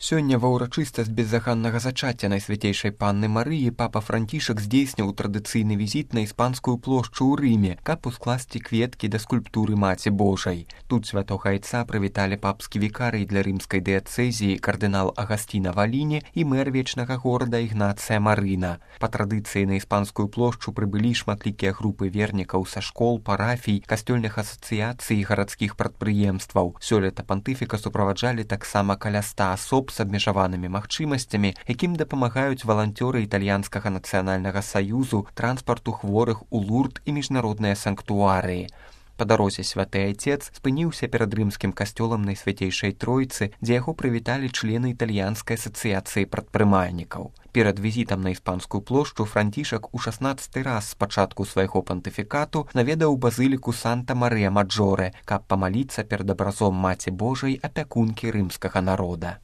Сёння ва ўрачыстасць беззаганнага зачацця Найсвяцейшай Панны Марыі папа Францішак здзейсніў традыцыйны візіт на іспанскую плошчу ў Рыме, каб ускласці кветкі да скульптуры Маці Божай. Тут святога айца прывіталі папскі вікарый для рымскай дыяцэзіі кардынал Агасціна Валіні і мэр вечнага горада Ігнацыя Марына. Па традыцыі на іспанскую плошчу прыбылі шматлікія групы вернікаў са школ, парафій, касцёльных асацыяцый і гарадскіх прадпрыемстваў. Сёлета пантыфіка суправаджалі таксама каля 100 асоб з абмежаванымі магчымасцямі, якім дапамагаюць валанцёры італьянскага нацыянальнага саюзу, транспарту хворых у Лурд і міжнародныя санктуарыі. Па дарозе святы айцец спыніўся перад рымскім касцёлам Найсвяцейшай Тройцы, дзе яго прывіталі члены італьянскай асацыяцыі прадпрымальнікаў. Перад візітам на іспанскую плошчу Францішак у 16-й раз з пачатку свайго пантыфікату наведаў базыліку Санта-Марыя-Маджоре, каб памаліцца перад абразом Маці Божай, апякункі рымскага народа.